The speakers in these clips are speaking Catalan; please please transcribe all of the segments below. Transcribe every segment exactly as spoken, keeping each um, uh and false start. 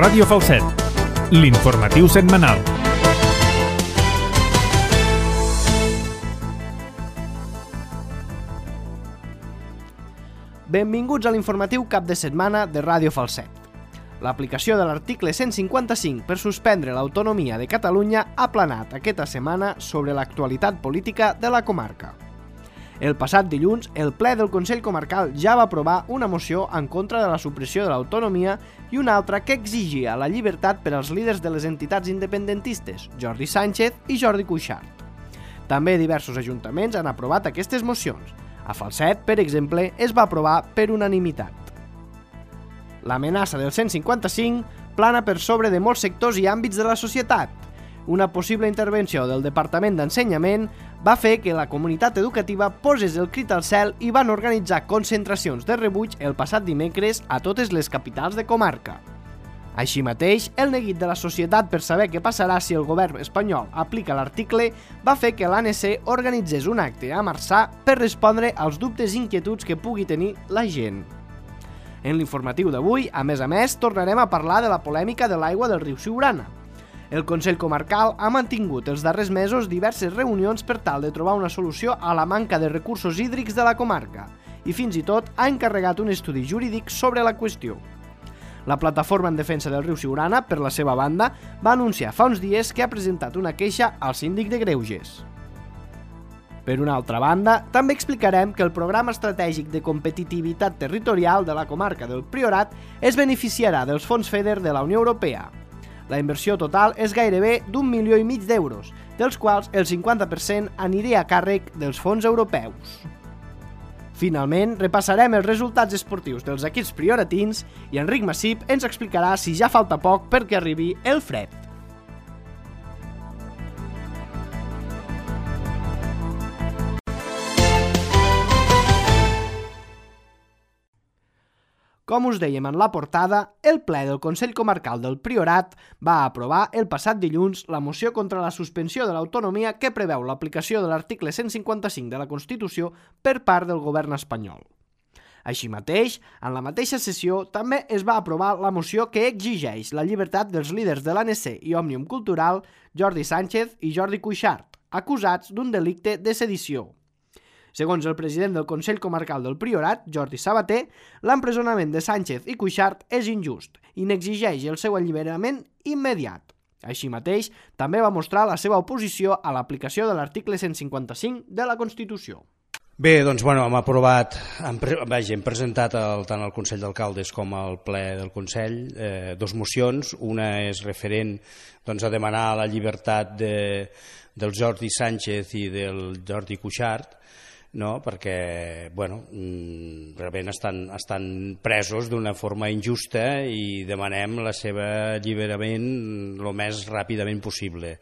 Ràdio Falset, l'informatiu setmanal. Benvinguts a l'informatiu cap de setmana de Ràdio Falset. L'aplicació de l'article cent cinquanta-cinc per suspendre l'autonomia de Catalunya ha planat aquesta setmana sobre l'actualitat política de la comarca. El passat dilluns, el ple del Consell Comarcal ja va aprovar una moció en contra de la supressió de l'autonomia i una altra que exigia la llibertat per als líders de les entitats independentistes, Jordi Sánchez i Jordi Cuixart. També diversos ajuntaments han aprovat aquestes mocions. A Falset, per exemple, es va aprovar per unanimitat. L'amenaça del cent cinquanta-cinc plana per sobre de molts sectors i àmbits de la societat. Una possible intervenció del Departament d'Ensenyament va fer que la comunitat educativa posés el crit al cel i van organitzar concentracions de rebuig el passat dimecres a totes les capitals de comarca. Així mateix, el neguit de la societat per saber què passarà si el govern espanyol aplica l'article va fer que l'A N C organitzés un acte a Marçà per respondre als dubtes i inquietuds que pugui tenir la gent. En l'informatiu d'avui, a més a més, tornarem a parlar de la polèmica de l'aigua del riu Siurana. El Consell Comarcal ha mantingut els darrers mesos diverses reunions per tal de trobar una solució a la manca de recursos hídrics de la comarca i fins i tot ha encarregat un estudi jurídic sobre la qüestió. La plataforma en defensa del riu Siurana, per la seva banda, va anunciar fa uns dies que ha presentat una queixa al síndic de Greuges. Per una altra banda, també explicarem que el Programa Estratègic de Competitivitat Territorial de la comarca del Priorat es beneficiarà dels fons FEDER de la Unió Europea. La inversió total és gairebé d'un milió i mig d'euros, dels quals el cinquanta per cent aniria a càrrec dels fons europeus. Finalment, repassarem els resultats esportius dels equips prioratins i Enric Massip ens explicarà si ja falta poc perquè arribi el fred. Com us dèiem en la portada, el ple del Consell Comarcal del Priorat va aprovar el passat dilluns la moció contra la suspensió de l'autonomia que preveu l'aplicació de l'article cent cinquanta-cinc de la Constitució per part del govern espanyol. Així mateix, en la mateixa sessió també es va aprovar la moció que exigeix la llibertat dels líders de l'A N C i Òmnium Cultural, Jordi Sánchez i Jordi Cuixart, acusats d'un delicte de sedició. Segons el president del Consell Comarcal del Priorat, Jordi Sabater, l'empresonament de Sánchez i Cuixart és injust i n'exigeix el seu alliberament immediat. Així mateix, també va mostrar la seva oposició a l'aplicació de l'article cent cinquanta-cinc de la Constitució. Bé, doncs bueno, hem aprovat, hem, vaja, hem presentat el, tant al Consell d'Alcaldes com al ple del Consell eh, dos mocions. Una és referent doncs, a demanar la llibertat de, del Jordi Sánchez i del Jordi Cuixart, no? Perquè bueno, realment estan, estan presos d'una forma injusta i demanem el seu alliberament el més ràpidament possible.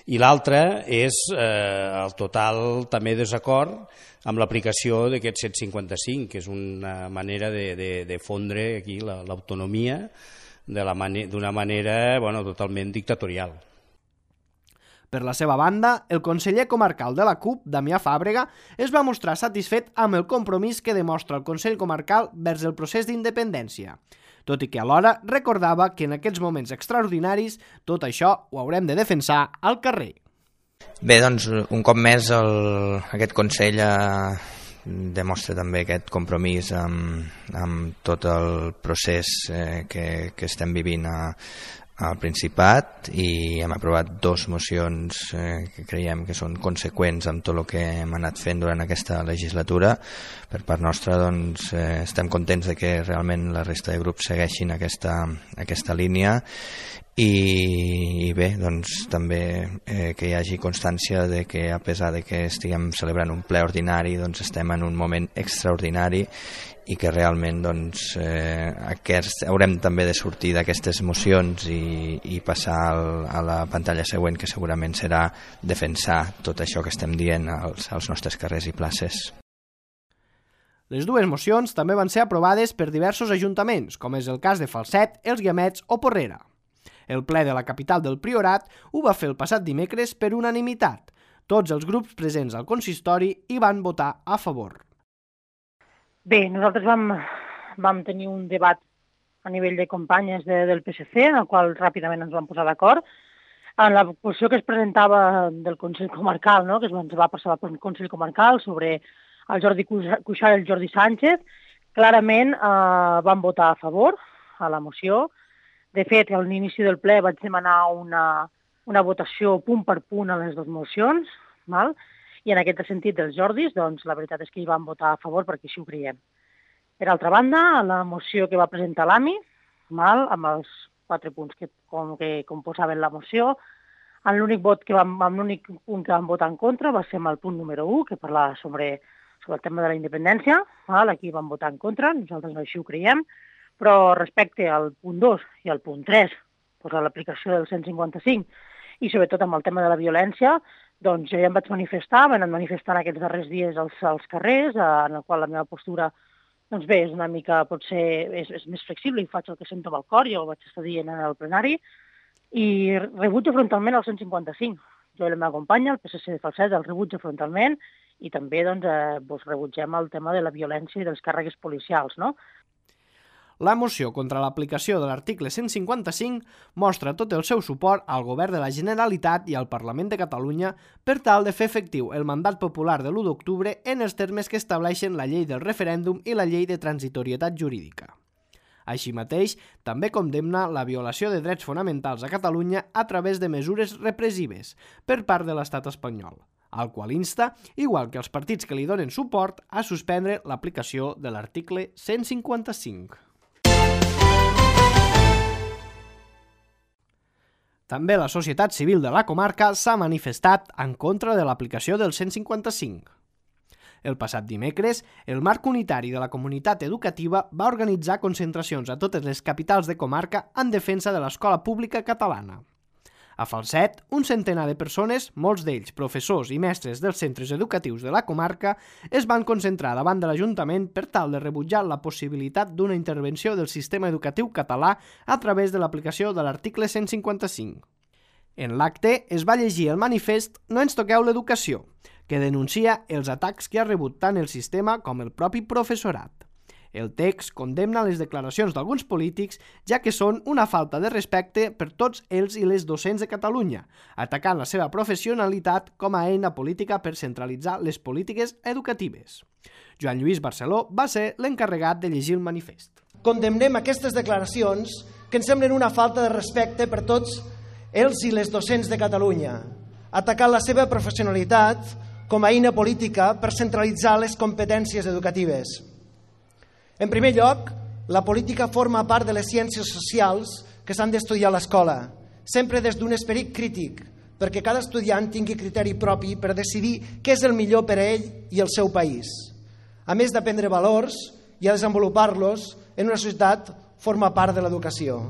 I l'altra és eh, el total també desacord amb l'aplicació d'aquest cent cinquanta-cinc, que és una manera de, de, de fondre aquí l'autonomia d'una mane manera bueno, totalment dictatorial. Per la seva banda, el conseller comarcal de la C U P, Damià Fàbrega, es va mostrar satisfet amb el compromís que demostra el Consell Comarcal vers el procés d'independència, tot i que alhora recordava que en aquests moments extraordinaris tot això ho haurem de defensar al carrer. Bé, doncs un cop més el, aquest Consell eh, demostra també aquest compromís amb, amb tot el procés eh, que, que estem vivint a al Principat i hem aprovat dues mocions eh, que creiem que són conseqüents amb tot el que hem anat fent durant aquesta legislatura. Per part nostra doncs, eh, estem contents de que realment la resta de grups segueixin aquesta, aquesta línia i, i bé, doncs també eh, que hi hagi constància de que a pesar de que estiguem celebrant un ple ordinari doncs estem en un moment extraordinari i que realment doncs, eh, aquest, haurem també de sortir d'aquestes mocions i, i passar al, a la pantalla següent, que segurament serà defensar tot això que estem dient als, als nostres carrers i places. Les dues mocions també van ser aprovades per diversos ajuntaments, com és el cas de Falset, Els Guiamets o Porrera. El ple de la capital del Priorat ho va fer el passat dimecres per unanimitat. Tots els grups presents al consistori hi van votar a favor. Bé, nosaltres vam, vam tenir un debat a nivell de companyes de, del P S C, en el qual ràpidament ens vam posar d'acord. En la moció que es presentava del Consell Comarcal, no? que es va passar al Consell Comarcal sobre el Jordi Cuixart i el Jordi Sánchez, clarament eh, van votar a favor a la moció. De fet, a l'inici del ple vaig demanar una, una votació punt per punt a les dues mocions, val? I en aquest sentit dels Jordis, doncs la veritat és que hi van votar a favor perquè així ho creiem. Per altra banda, la moció que va presentar l'AMI, val? Amb els quatre punts que, com, que composaven la moció, en l'únic vot que vam, amb l'únic punt que vam votar en contra va ser amb el punt número u, que parlava sobre, sobre el tema de la independència, val? Aquí vam votar en contra, nosaltres així ho creiem, però respecte al punt dos i al punt tres, doncs a l'aplicació del cent cinquanta-cinc, i sobretot amb el tema de la violència, doncs jo ja em vaig manifestar, vam anar manifestant aquests darrers dies als, als carrers, en el qual la meva postura, doncs bé, és una mica, potser, és, és més flexible i faig el que sento amb el cor, ja ho vaig estar dient en el plenari, i rebutjo frontalment el cent cinquanta-cinc. Jo i la meva companya, el P S C de Falset, el rebutjo frontalment, i també doncs, eh, doncs, rebutgem el tema de la violència i dels càrregues policials, no? La moció contra l'aplicació de l'article cent cinquanta-cinc mostra tot el seu suport al Govern de la Generalitat i al Parlament de Catalunya per tal de fer efectiu el mandat popular de l'u d'octubre en els termes que estableixen la llei del referèndum i la llei de transitorietat jurídica. Així mateix, també condemna la violació de drets fonamentals a Catalunya a través de mesures repressives per part de l'estat espanyol, al qual insta, igual que els partits que li donen suport, a suspendre l'aplicació de l'article cent cinquanta-cinc. També la societat civil de la comarca s'ha manifestat en contra de l'aplicació del cent cinquanta-cinc. El passat dimecres, el Marc Unitari de la Comunitat Educativa va organitzar concentracions a totes les capitals de comarca en defensa de l'escola pública catalana. A Falset, un centenar de persones, molts d'ells professors i mestres dels centres educatius de la comarca, es van concentrar davant de l'Ajuntament per tal de rebutjar la possibilitat d'una intervenció del sistema educatiu català a través de l'aplicació de l'article cent cinquanta-cinc. En l'acte es va llegir el manifest No ens toqueu l'educació, que denuncia els atacs que ha rebut tant el sistema com el propi professorat. El text condemna les declaracions d'alguns polítics, ja que són una falta de respecte per tots els i les docents de Catalunya, atacant la seva professionalitat com a eina política per centralitzar les polítiques educatives. Joan Lluís Barceló va ser l'encarregat de llegir el manifest. Condemnem aquestes declaracions que ens semblen una falta de respecte per tots els i les docents de Catalunya, atacant la seva professionalitat com a eina política per centralitzar les competències educatives. En primer lloc, la política forma part de les ciències socials que s'han d'estudiar a l'escola, sempre des d'un esperit crític, perquè cada estudiant tingui criteri propi per decidir què és el millor per a ell i el seu país. A més d'aprendre valors i a desenvolupar-los en una societat forma part de l'educació.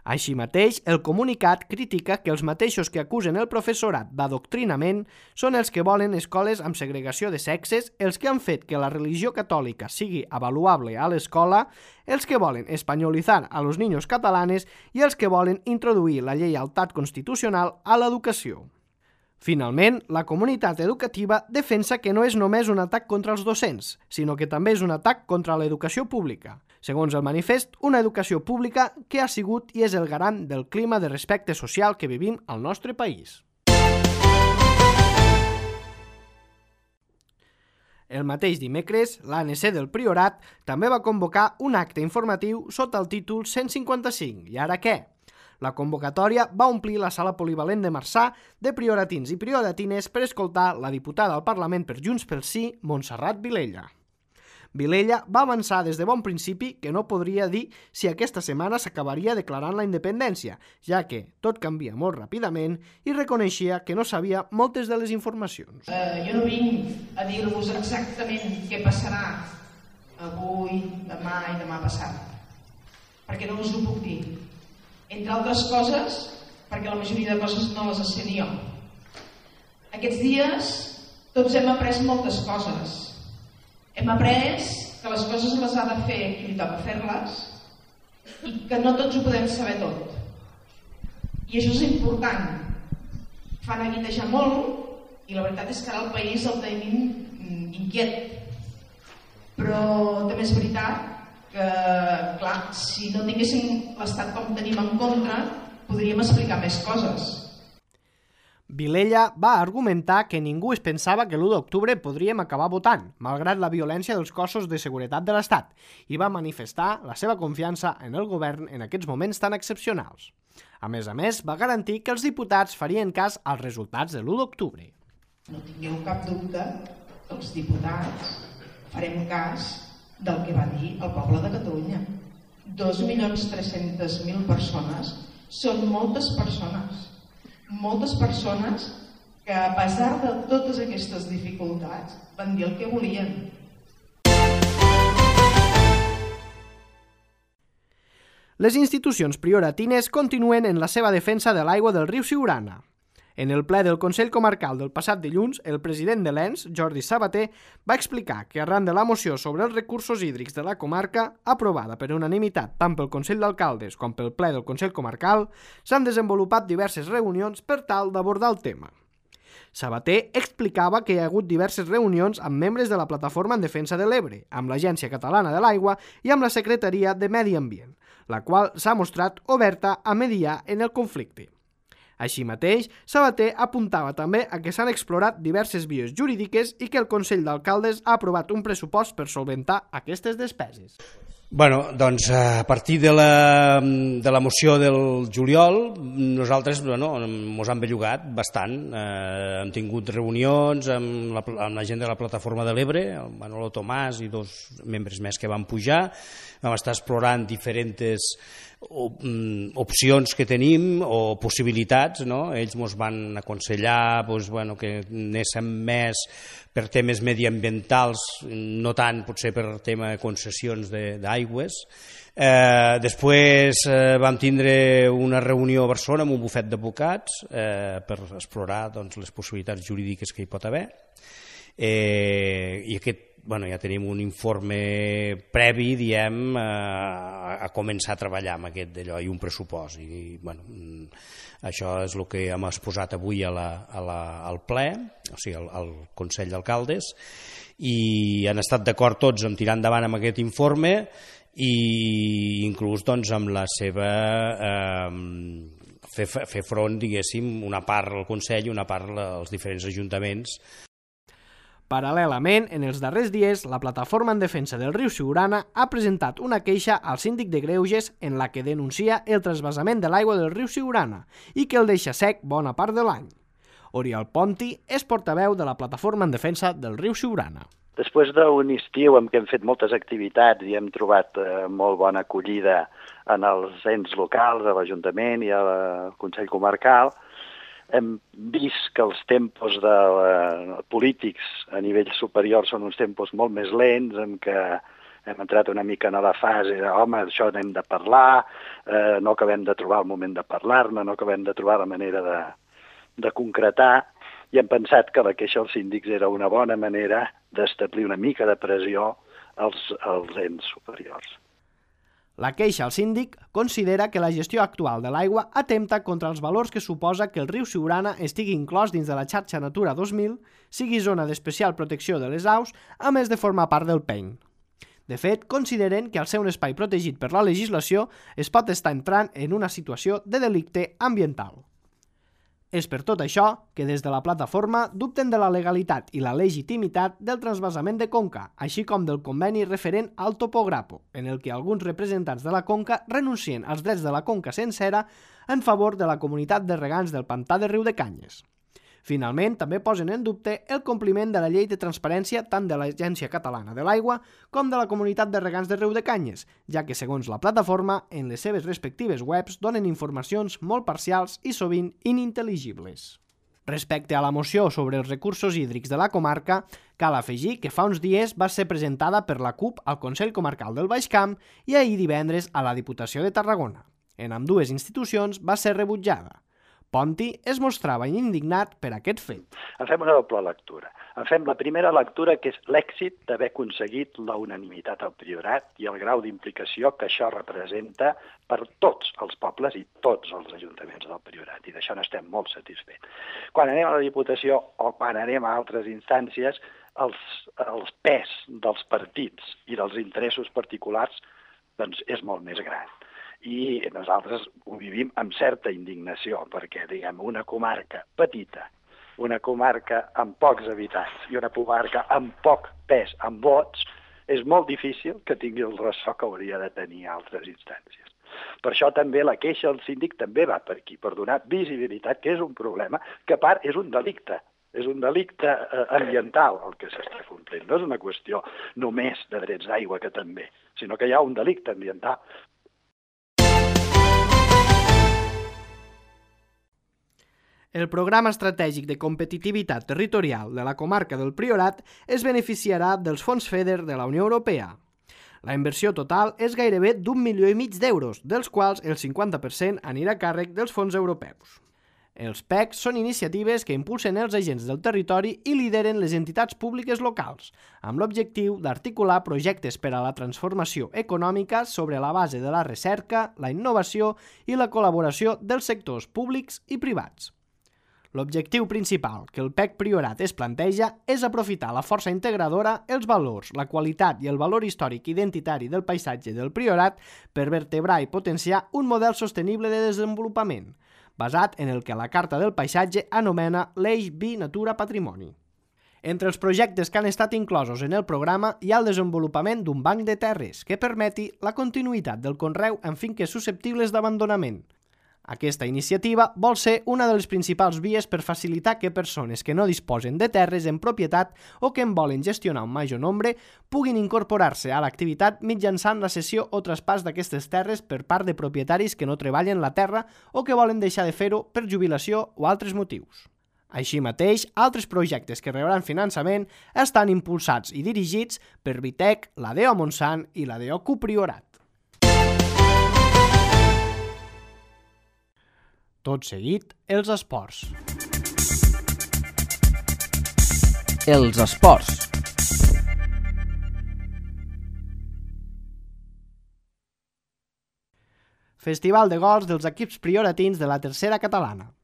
Així mateix, el comunicat critica que els mateixos que acusen el professorat d'adoctrinament són els que volen escoles amb segregació de sexes, els que han fet que la religió catòlica sigui avaluable a l'escola, els que volen espanyolitzar a los niños catalanes i els que volen introduir la lleialtat constitucional a l'educació. Finalment, la comunitat educativa defensa que no és només un atac contra els docents, sinó que també és un atac contra l'educació pública. Segons el manifest, una educació pública que ha sigut i és el garant del clima de respecte social que vivim al nostre país. El mateix dimecres, l'A N C del Priorat també va convocar un acte informatiu sota el títol cent cinquanta-cinc. I ara què? La convocatòria va omplir la sala polivalent de Marçà de prioratins i prioratines per escoltar la diputada al Parlament per Junts pel Sí, Montserrat Vilella. Vilella va avançar des de bon principi que no podria dir si aquesta setmana s'acabaria declarant la independència, ja que tot canvia molt ràpidament, i reconeixia que no sabia moltes de les informacions. Eh, jo no vinc a dir-vos exactament què passarà avui, demà i demà passat, perquè no us ho puc dir. Entre altres coses, perquè la majoria de coses no les sé jo. Aquests dies tots hem après moltes coses. Hem après que les coses les ha de fer qui li toca fer-les i que no tots ho podem saber tot. I això és important. Fa neguitejar molt i la veritat és que ara el país el tenim inquiet. Però també és veritat que, clar, si no tinguéssim l'Estat com tenim en contra, podríem explicar més coses. Vilella va argumentar que ningú es pensava que l'u d'octubre podríem acabar votant, malgrat la violència dels cossos de seguretat de l'Estat, i va manifestar la seva confiança en el govern en aquests moments tan excepcionals. A més a més, va garantir que els diputats farien cas als resultats de l'u d'octubre. No tingueu cap dubte que els diputats farem cas del que va dir el poble de Catalunya. dos milions tres-centes mil persones són moltes persones. Moltes persones que, a pesar de totes aquestes dificultats, van dir el que volien. Les institucions prioratines continuen en la seva defensa de l'aigua del riu Siurana. En el ple del Consell Comarcal del passat dilluns, el president de l'E N S, Jordi Sabater, va explicar que arran de la moció sobre els recursos hídrics de la comarca, aprovada per unanimitat tant pel Consell d'Alcaldes com pel ple del Consell Comarcal, s'han desenvolupat diverses reunions per tal d'abordar el tema. Sabater explicava que hi ha hagut diverses reunions amb membres de la Plataforma en Defensa de l'Ebre, amb l'Agència Catalana de l'Aigua i amb la Secretaria de Medi Ambient, la qual s'ha mostrat oberta a mediar en el conflicte. Així mateix, Sabater apuntava també a que s'han explorat diverses vies jurídiques i que el Consell d'Alcaldes ha aprovat un pressupost per solventar aquestes despeses. Bueno, doncs a partir de la, de la moció del juliol, nosaltres bueno, ens han bellugat bastant. Eh, hem tingut reunions amb la, amb la gent de la Plataforma de l'Ebre, el Manolo Tomàs i dos membres més que van pujar. Vam estar explorant diferents opcions que tenim o possibilitats, no? Ells ens van aconsellar doncs, bueno, que anéssim més per temes mediambientals, no tant potser per tema de concessions d'aigües. Eh, després eh, vam tindre una reunió a Barcelona amb un bufet d'advocats eh, per explorar doncs, les possibilitats jurídiques que hi pot haver. Eh, I aquest Bueno, ja tenim un informe previ, diem, a, a començar a treballar amb aquest d'allò i un pressupost. I, bueno, això és el que hem exposat avui a la, a la, al ple, o sigui, al, al Consell d'Alcaldes, i han estat d'acord tots en tirar endavant amb aquest informe i inclús doncs, amb la seva... Eh, fer, fer front, diguéssim, una part al Consell i una part als diferents ajuntaments. Paral·lelament, en els darrers dies, la Plataforma en Defensa del riu Siurana ha presentat una queixa al síndic de Greuges en la que denuncia el transvasament de l'aigua del riu Siurana i que el deixa sec bona part de l'any. Oriol Ponti és portaveu de la Plataforma en Defensa del riu Siurana. Després d'un estiu en què hem fet moltes activitats i hem trobat eh, molt bona acollida en els ens locals, a l'Ajuntament i al Consell Comarcal, hem vist que els tempos de, uh, polítics a nivell superior són uns tempos molt més lents, en què hem entrat una mica en la fase de home, això n'hem de parlar, eh, no acabem de trobar el moment de parlar-ne, no acabem de trobar la manera de, de concretar, i hem pensat que la queixa als síndics era una bona manera d'establir una mica de pressió als, als ens superiors. La queixa al síndic considera que la gestió actual de l'aigua atempta contra els valors que suposa que el riu Siurana estigui inclòs dins de la xarxa Natura dos mil, sigui zona d'especial protecció de les aus, a més de formar part del P E N. De fet, consideren que al ser un espai protegit per la legislació es pot estar entrant en una situació de delicte ambiental. És per tot això que des de la plataforma dubten de la legalitat i la legitimitat del transvasament de Conca, així com del conveni referent al Topograpo, en el que alguns representants de la Conca renuncien als drets de la Conca sencera en favor de la comunitat de regants del pantà de Riu de Canyes. Finalment, també posen en dubte el compliment de la llei de transparència tant de l'Agència Catalana de l'Aigua com de la comunitat de regants de Riu de Canyes, ja que, segons la plataforma, en les seves respectives webs donen informacions molt parcials i sovint inintel·ligibles. Respecte a la moció sobre els recursos hídrics de la comarca, cal afegir que fa uns dies va ser presentada per la C U P al Consell Comarcal del Baix Camp i ahir divendres a la Diputació de Tarragona. En ambdues institucions va ser rebutjada. Ponti es mostrava indignat per aquest fet. En fem una doble lectura. En fem la primera lectura, que és l'èxit d'haver aconseguit la unanimitat al Priorat i el grau d'implicació que això representa per tots els pobles i tots els ajuntaments del Priorat, i d'això n'estem molt satisfets. Quan anem a la Diputació o quan anem a altres instàncies, els, els pes dels partits i dels interessos particulars doncs és molt més gran. I nosaltres ho vivim amb certa indignació, perquè, diguem, una comarca petita, una comarca amb pocs habitants i una comarca amb poc pes, amb vots, és molt difícil que tingui el ressò que hauria de tenir altres instàncies. Per això també la queixa del síndic també va per aquí, per donar visibilitat, que és un problema que a part és un delicte. És un delicte ambiental el que s'està complint. No és una qüestió només de drets d'aigua, que també, sinó que hi ha un delicte ambiental. El Programa Estratègic de Competitivitat Territorial de la comarca del Priorat es beneficiarà dels fons FEDER de la Unió Europea. La inversió total és gairebé d'un milió i mig d'euros, dels quals el cinquanta per cent anirà a càrrec dels fons europeus. Els P E Cs són iniciatives que impulsen els agents del territori i lideren les entitats públiques locals, amb l'objectiu d'articular projectes per a la transformació econòmica sobre la base de la recerca, la innovació i la col·laboració dels sectors públics i privats. L'objectiu principal que el P E C Priorat es planteja és aprofitar la força integradora, els valors, la qualitat i el valor històric identitari del paisatge del Priorat per vertebrar i potenciar un model sostenible de desenvolupament, basat en el que la Carta del Paisatge anomena l'Eix Vi Natura Patrimoni. Entre els projectes que han estat inclosos en el programa hi ha el desenvolupament d'un banc de terres que permeti la continuïtat del conreu en finques susceptibles d'abandonament. Aquesta iniciativa vol ser una de les principals vies per facilitar que persones que no disposen de terres en propietat o que en volen gestionar un major nombre puguin incorporar-se a l'activitat mitjançant la cessió o traspàs d'aquestes terres per part de propietaris que no treballen la terra o que volen deixar de fer-ho per jubilació o altres motius. Així mateix, altres projectes que rebran finançament estan impulsats i dirigits per Vitec, la D O Montsant i la D O Cupriorat. Tot seguit, els esports. Els esports. Festival de gols dels equips prioratins de la tercera catalana.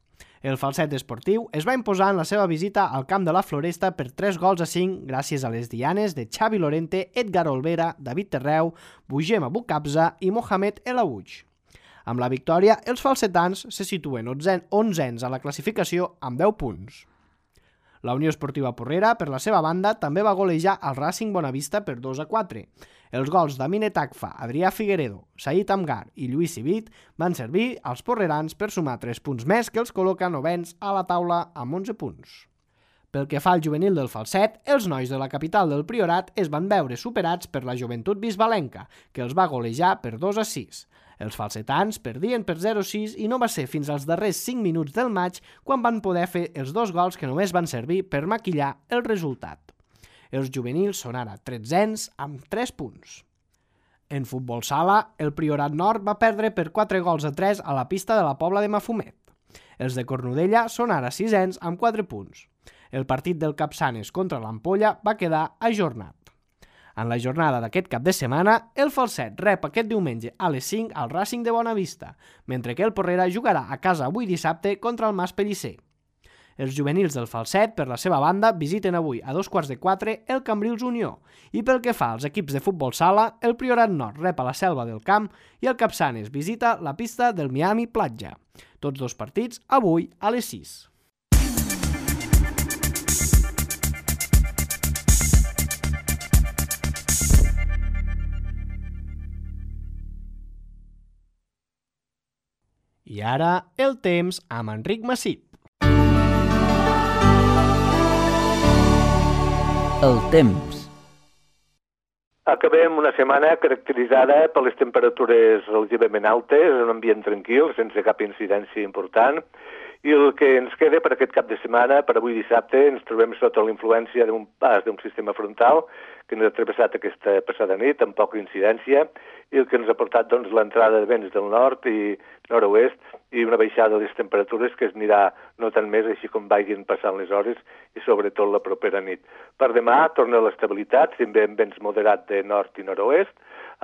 El falset esportiu es va imposar en la seva visita al camp de la Floresta per tres gols a cinc gràcies a les dianes de Xavi Lorente, Edgar Olvera, David Terreu, Bugem Abucabza i Mohamed El Aouch. Amb la victòria, els falsetans se situen onzens a la classificació amb deu punts. La Unió Esportiva Porrera, per la seva banda, també va golejar al Racing Bonavista per dos a quatre. Els gols d'Amine Takfa, Adrià Figueredo, Saïd Amgar i Lluís Civit van servir als porrerans per sumar tres punts més que els col·loca novens a la taula amb onze punts. Pel que fa al juvenil del falset, els nois de la capital del Priorat es van veure superats per la joventut bisbalenca, que els va golejar per dos a sis. Els falsetans perdien per zero a sis i no va ser fins als darrers cinc minuts del maig quan van poder fer els dos gols que només van servir per maquillar el resultat. Els juvenils són ara tretzens amb tres punts. En futbol sala, el Priorat Nord va perdre per quatre gols a tres a la pista de la Pobla de Mafumet. Els de Cornudella són ara sisens amb quatre punts. El partit del Capçanes contra l'Ampolla va quedar ajornat. En la jornada d'aquest cap de setmana, el falset rep aquest diumenge a les cinc al Racing de Bonavista, mentre que el Porrera jugarà a casa avui dissabte contra el Mas Pellicer. Els juvenils del falset, per la seva banda, visiten avui a dos quarts de quatre el Cambrils Unió, i pel que fa als equips de futbol sala, el Priorat Nord rep a la Selva del Camp i el Capçanes visita la pista del Miami Platja. Tots dos partits avui a les sis. I ara, el temps amb Enric Massip. El temps. Acabem una setmana caracteritzada per les temperatures relativament altes, un ambient tranquil, sense cap incidència important, i el que ens queda per aquest cap de setmana, per avui dissabte, ens trobem sota la influència d'un pas d'un sistema frontal que ens ha travessat aquesta passada nit amb poca incidència i el que ens ha portat doncs, l'entrada de vents del nord i nord-oest i una baixada de les temperatures que es anirà notant més així com vagin passant les hores i sobretot la propera nit. Per demà torna l'estabilitat, sempre amb vents moderats de nord i nord-oest,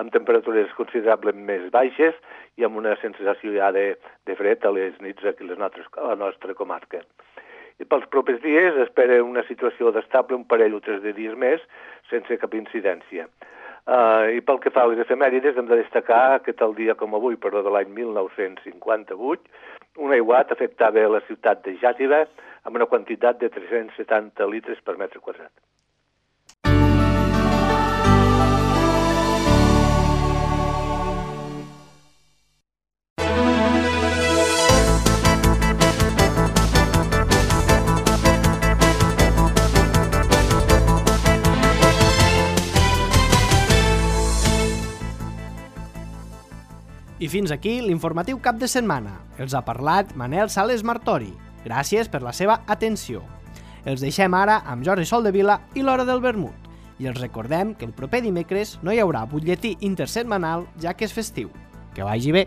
amb temperatures considerablement més baixes i amb una sensació ja de, de fred a les nits aquí a, les nostres, a la nostra comarca. I pels propers dies espera una situació d'estable un parell o tres de dies més sense cap incidència. Uh, I pel que fa a les efemèrides, hem de destacar que tal dia com avui, però de l'any mil nou-cents cinquanta-vuit, un aiguat afectava la ciutat de Xàtiva amb una quantitat de tres-cents setanta litres per metre quadrat. I fins aquí l'informatiu cap de setmana. Els ha parlat Manel Sales Martori. Gràcies per la seva atenció. Els deixem ara amb Jordi Soldevila i l'Hora del Vermut. I els recordem que el proper dimecres no hi haurà butlletí intersetmanal ja que és festiu. Que vagi bé!